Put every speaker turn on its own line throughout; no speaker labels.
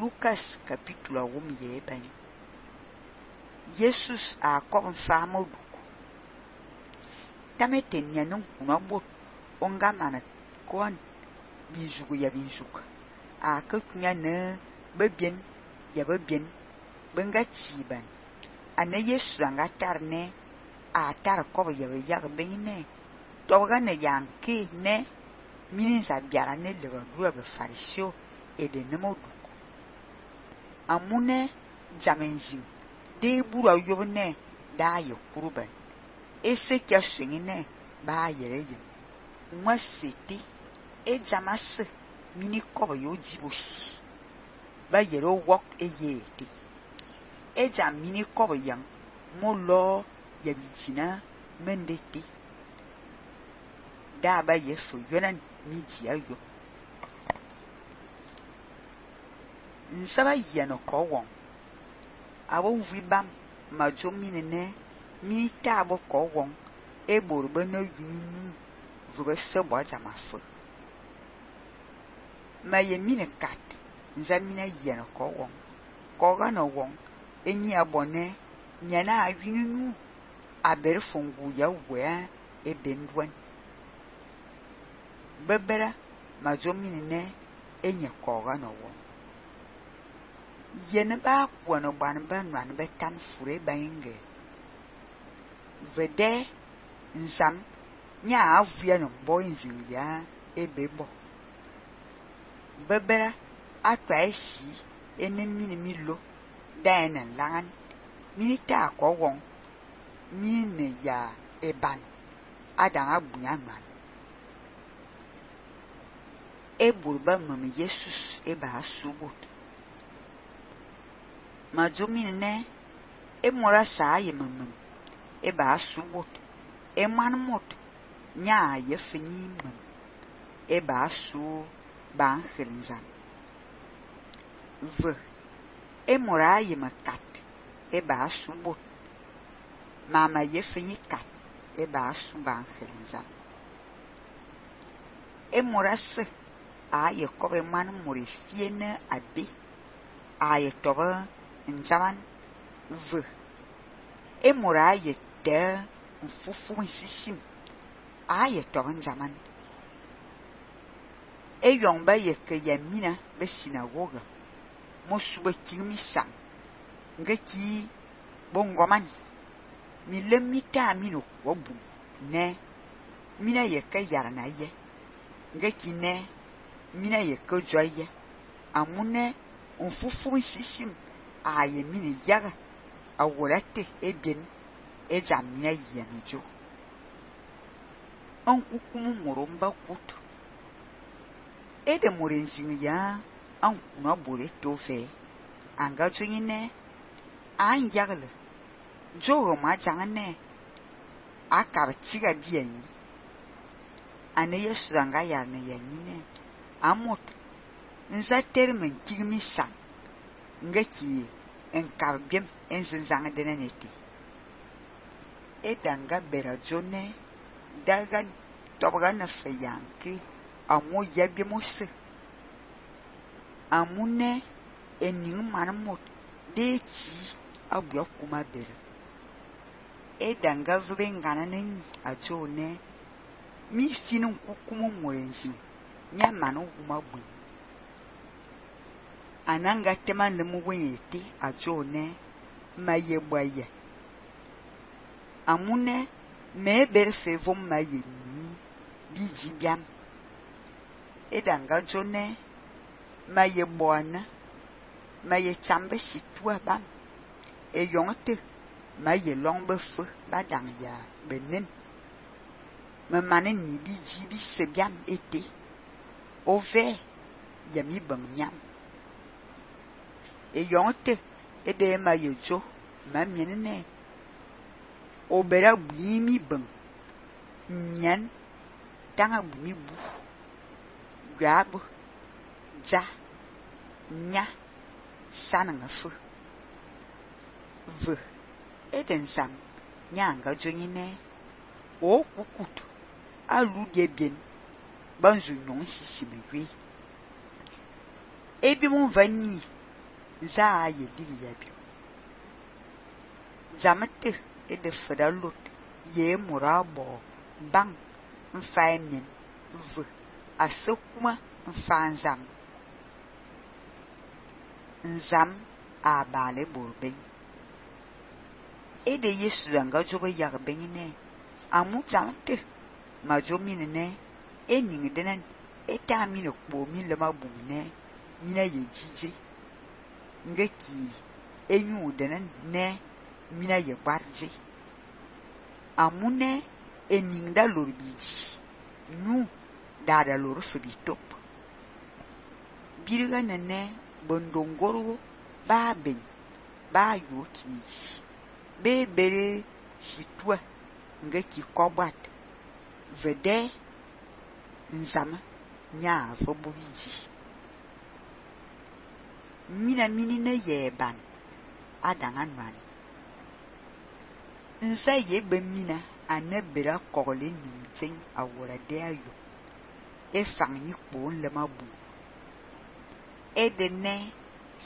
Lucas capítulo 1 bem. Jesus a kom fama duku. Tamete nyanun kuna bot onga mana kon bizugu ya bizuka. A kunya ne bebien ya bebien benga chiban. Ane Jesus anga tarne a tar ko ya ya bene. Toga ne yanke ne minin sa biara ne le dua be farisio e de nemo duku. Amune jamenjin de bura yobne da ye kuruban. Ese kya swingine ba yere ye. Mwa sete e jamase mini kobo yo jibosi. Ba yere wok e yete. E jam mini kobo yang mo lo ya bijina mendete. Da ba ye so yonan mi dia yo. Nsaba yeno ko won. Awon vibam majo minene mini tabo ko won e borbe no yunu vube sebo jamafu. Ma ye mine kat nzamina yeno ko won. Ko ga no won enyi abone nyana awinu aber fungu ya we e bendwan. Bebera majo minene enye ko ga no won. Yene ba kwano ban ba nwan be tan fure bange. Vede nsam nya avia no boy nzin ya ebebo. Bebera atwa esi ene mini milo dana langan minita ko won mini ya eban adan abunya nwan. Eburba mama Jesus eba subut. Majumine ne emora sa ye mamam eba subut eman mot nya ye fini mam eba su ban khirinzam v emora ye makat eba subut mama ye fini kat eba su ban khirinzam emora se a ye kobe man mori fiene abi a ye toba njaman v emora ye de mfufu nsishim a ye toba njaman e yongba ye ke yamina be sinagoga mo suba kimi sam ngaki bongoman mi lemita mino wobum ne mina ye ke yarana ye ngaki ne mina ye ke joye amune mfufu nsishim aye mini yaga awolate ebien ejamia yenujo onkukumu moromba kutu ede morenjin ya ankuna bore tofe anga jungine an yagle jogo ma jangane akar tiga bien ane yesu anga yarne yanine amot nza termen tigmi sang ngaki enkar biem enzang denaneti edanga berajone daga tobaga na fayanki amo yabi mose amune enin manmot dechi abua kuma bere edanga vengana nen ajone mi sinun kukumu morenzi nya manu kuma bu ananga temande mu wete ajone maye boye amune me berfe vom maye ni bijibiam edanga jone maye boana maye chambe situa bam e yonte maye longbe feu badang ya benen me manen ni bijibi sebiam ete ove yami banyam e yonte ede ma yejo ma mienene obera bimi ban nyan tanga bumi bu gab ja nya sananga fu v eden sam nyanga jonyine o kukutu alu de bien banzu non sisimewe ebi mon vani za ye digi yabi zamete e de feda lot ye murabo bang mfaimin v asukuma mfanzam nzam a bale borbe e de yesu zanga jogo yarbe ne amu zamete majomine ne ening denen eta mi no kpo mi le mabum ne mina ye jije ngeki enyu denen ne mina ye barje amune ening da lorbi nu da lor fibitop birga ne bondongoro ba ben ba yo kimi be bere sitwa ngeki kobat vede nzama nya fobuji mina mini na yeban adanga nwan nsa yebe mina anebera kokole nintin awora de ayo e fanyi kpo le mabu e de ne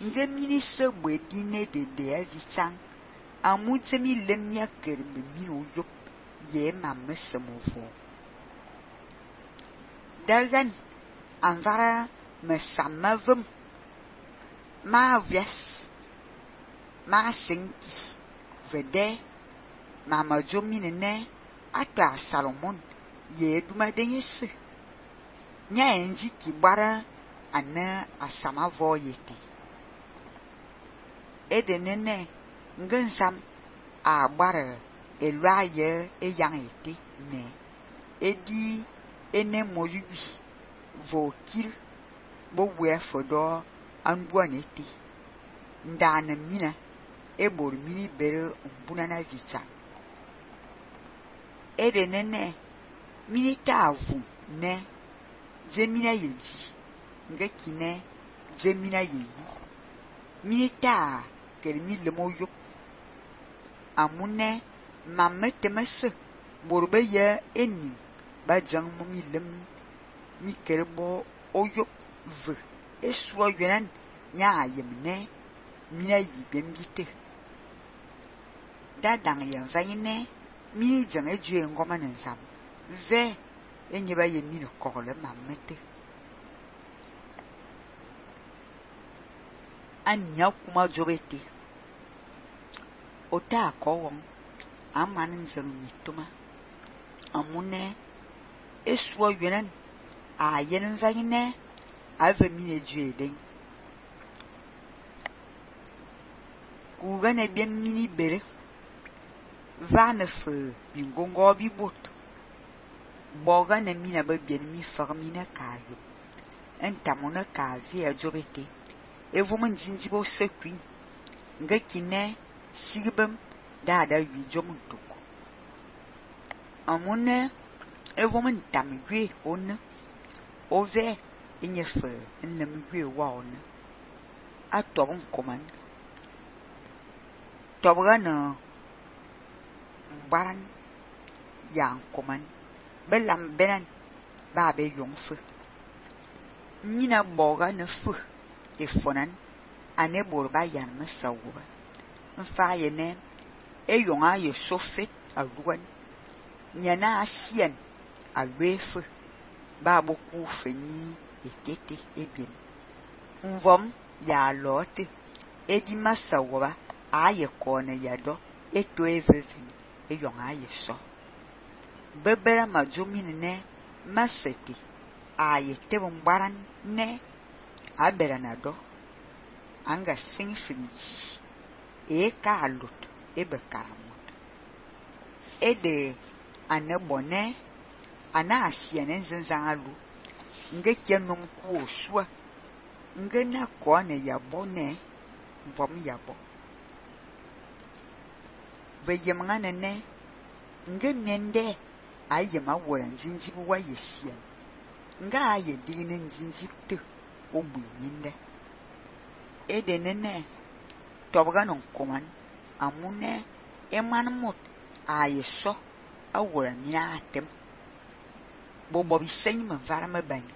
nge mini se bwedi ne de aji chang amutemi lemnya kerbe mi oyo ye mamesemo dagan anvara mesamavum ma vias ma sinki vede mama jomine ne ata salomon ye duma denyese nya enji kibara ana asamavo yete edenene ngensam a gbara elwaye eyang ete ne edi ene moyubi vokil bo wefodo anbuanete ndana mina ebor mini bere mbuna na vita edenene mini tavu ne zemina yeji ngekine zemina yeyi mini ta kermi lemoyo amune mametemese borbe ye eni bajang momi lem mi kerbo oyo v eswo yenan nya yemne mina yibembite dadang yan vayine mini jang eju ngoma nsam ve enyeba ye mini kokole mamete anya kuma jobete ota kowon amanin zang mituma amune eswo yenan a yenen vayine ave mini eju eden kugane bien mini bere vanefe bingongo bibot boga ne mina be bien mi farmina kayo entamona ka via jobete evumen jinjibo sekwin ngekine sigbem dada wi jomuntuko amune evumen tamgwe on ove enyefe enlemgwe wa on atobun koman tobgana baran yang koman belam benan ba be yongfe mina boga ne fu efonan ane borba yan mesawuba mfa yene eyonga ye sofet aluan nyana asien alwefe ba boku feni ekete ebien nvom ya lote edi masawuba aye kone yado eto evevin eyonga ye so bebera majomine ne maseti aye tebon baran ne abera nado anga sing finiji e kalut ebe karamut ede anebone ana asiene nzanzalu nge kenom ku osua nge na ko ne yabone vom yabo veyemngane ne nge mende ayema woran zinjibu wa yesian nga aye digine nzinjipte obunyinde edenene tobganon koman amune emanmut ayeso awora mina atem bobo bisenyi mvara mabani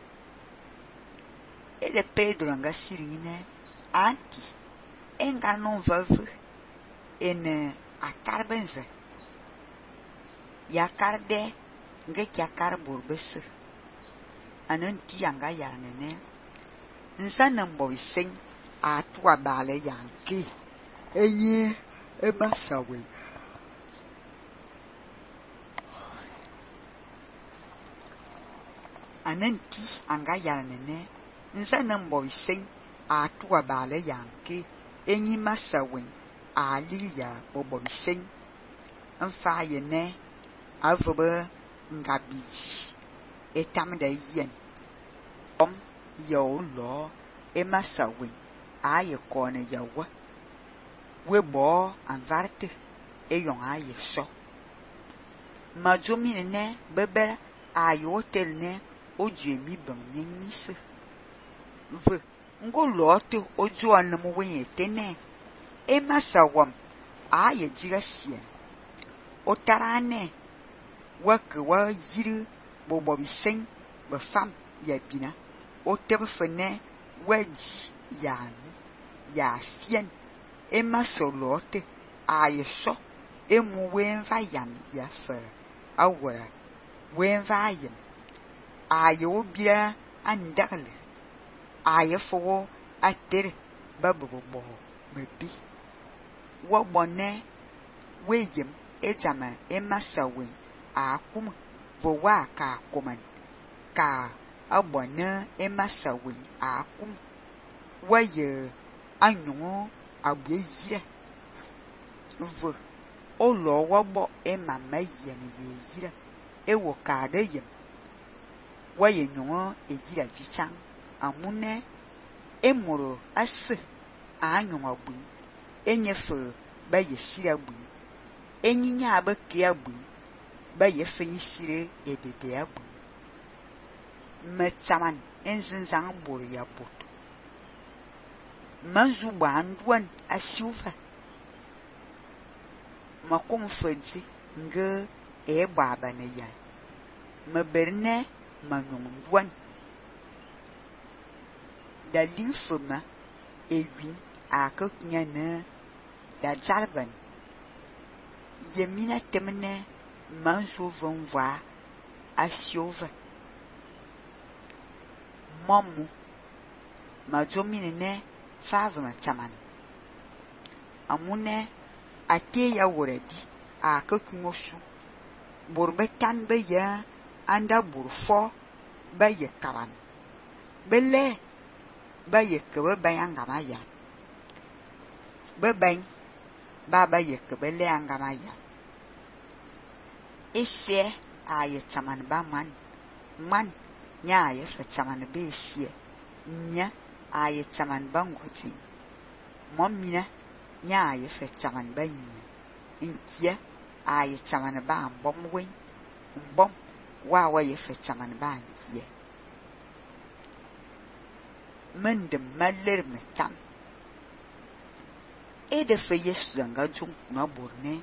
ede pedro nga sirine anti enga non veve en akar benze ya karde nge kya kar borbese anan ti anga ya nene nsan mbo sen a tuwa bale yanki enyi emasawe anan ti anga ya nene nsan mbo sen a tuwa bale yanki enyi masawe ali ya bobo sen nfa yene avebe ngabiji etam da yen om yo lo emasawe aye kone yawa webo anvarte eyon aye so majomine ne bebe aye hotel ne oju emi ban nyenise ve ngolo to oju anam we tene emasawam aye jigasie otarane wake wa yiri bobo bisen be fam ya bina o tebe fene waji ya fien emasolote aye so emu wenva yan ya fe awara wenva ayem aye obia andagle aye fo atere babobo mebi wo bonne weyem ejama emasawe akum vo wa ka koman ka abone emasawe akum waye anyuo abeyire vo olo wobo emama yen yeyire ewo ka de yem waye nyuo ejira vichan amune emuro ase anyuo abu enyefe baye sira bu enyinya abeke abu baye fenyisire edede abu metaman enzinzan buru ya boto manzu bandwan asiuva makom fedzi nge baba ne ya maberne manyondwan dalifuma ewi akakunya ne da jalban yemina temne manzo vonva asiova mamu majomine ne favma taman amune ate ya woredi akakunyosu borbetan be ya anda burfo baye karan bele baye kebe bayangama ya beban baba ye kebele angama ya ese aye taman ba man nya aye fe taman be ese nya aye taman bangoti momina nya aye fe taman ba nya inkia aye taman ba mbomwe mbom wa ye fe taman ba nkia mendem maler metam ede fe yesu zanga jung na borne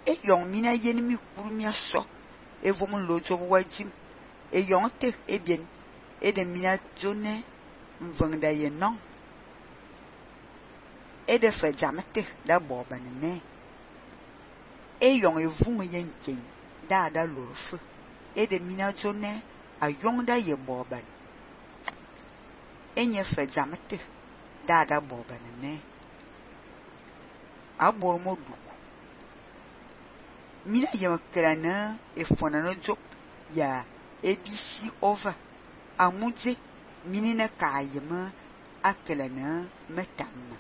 e yon mina yeni mi kurumia so e vomon lojo wajim e yon te e bien e de mina jone mvangda ye non e de fe jamete da boba ne e yon e vum yen ken da lorfu e de mina jone a yon da ye boba enye fe jamete da boba ne abor modu mina yamakrana efona no job ya abc over amuje minina kayema akelana metamma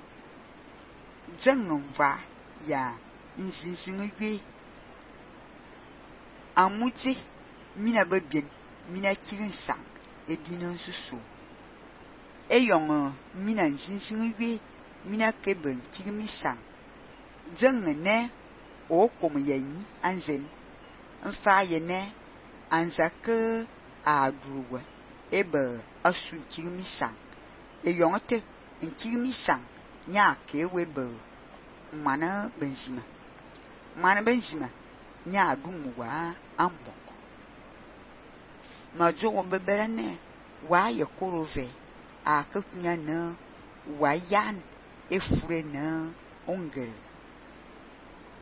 jangomva ya nsinsinwe amuje mina babien mina kirinsan edina susu eyong mina nsinsinwe mina keben kirimisan jangene o kom yen anzen nfa yene anzake aduwa ebe asu kirimisan eyonte nkirimisan nya ke webe mana benzima nya adumuwa amboko majo obeberane wa ye korove akakunya na wayan efure na ongel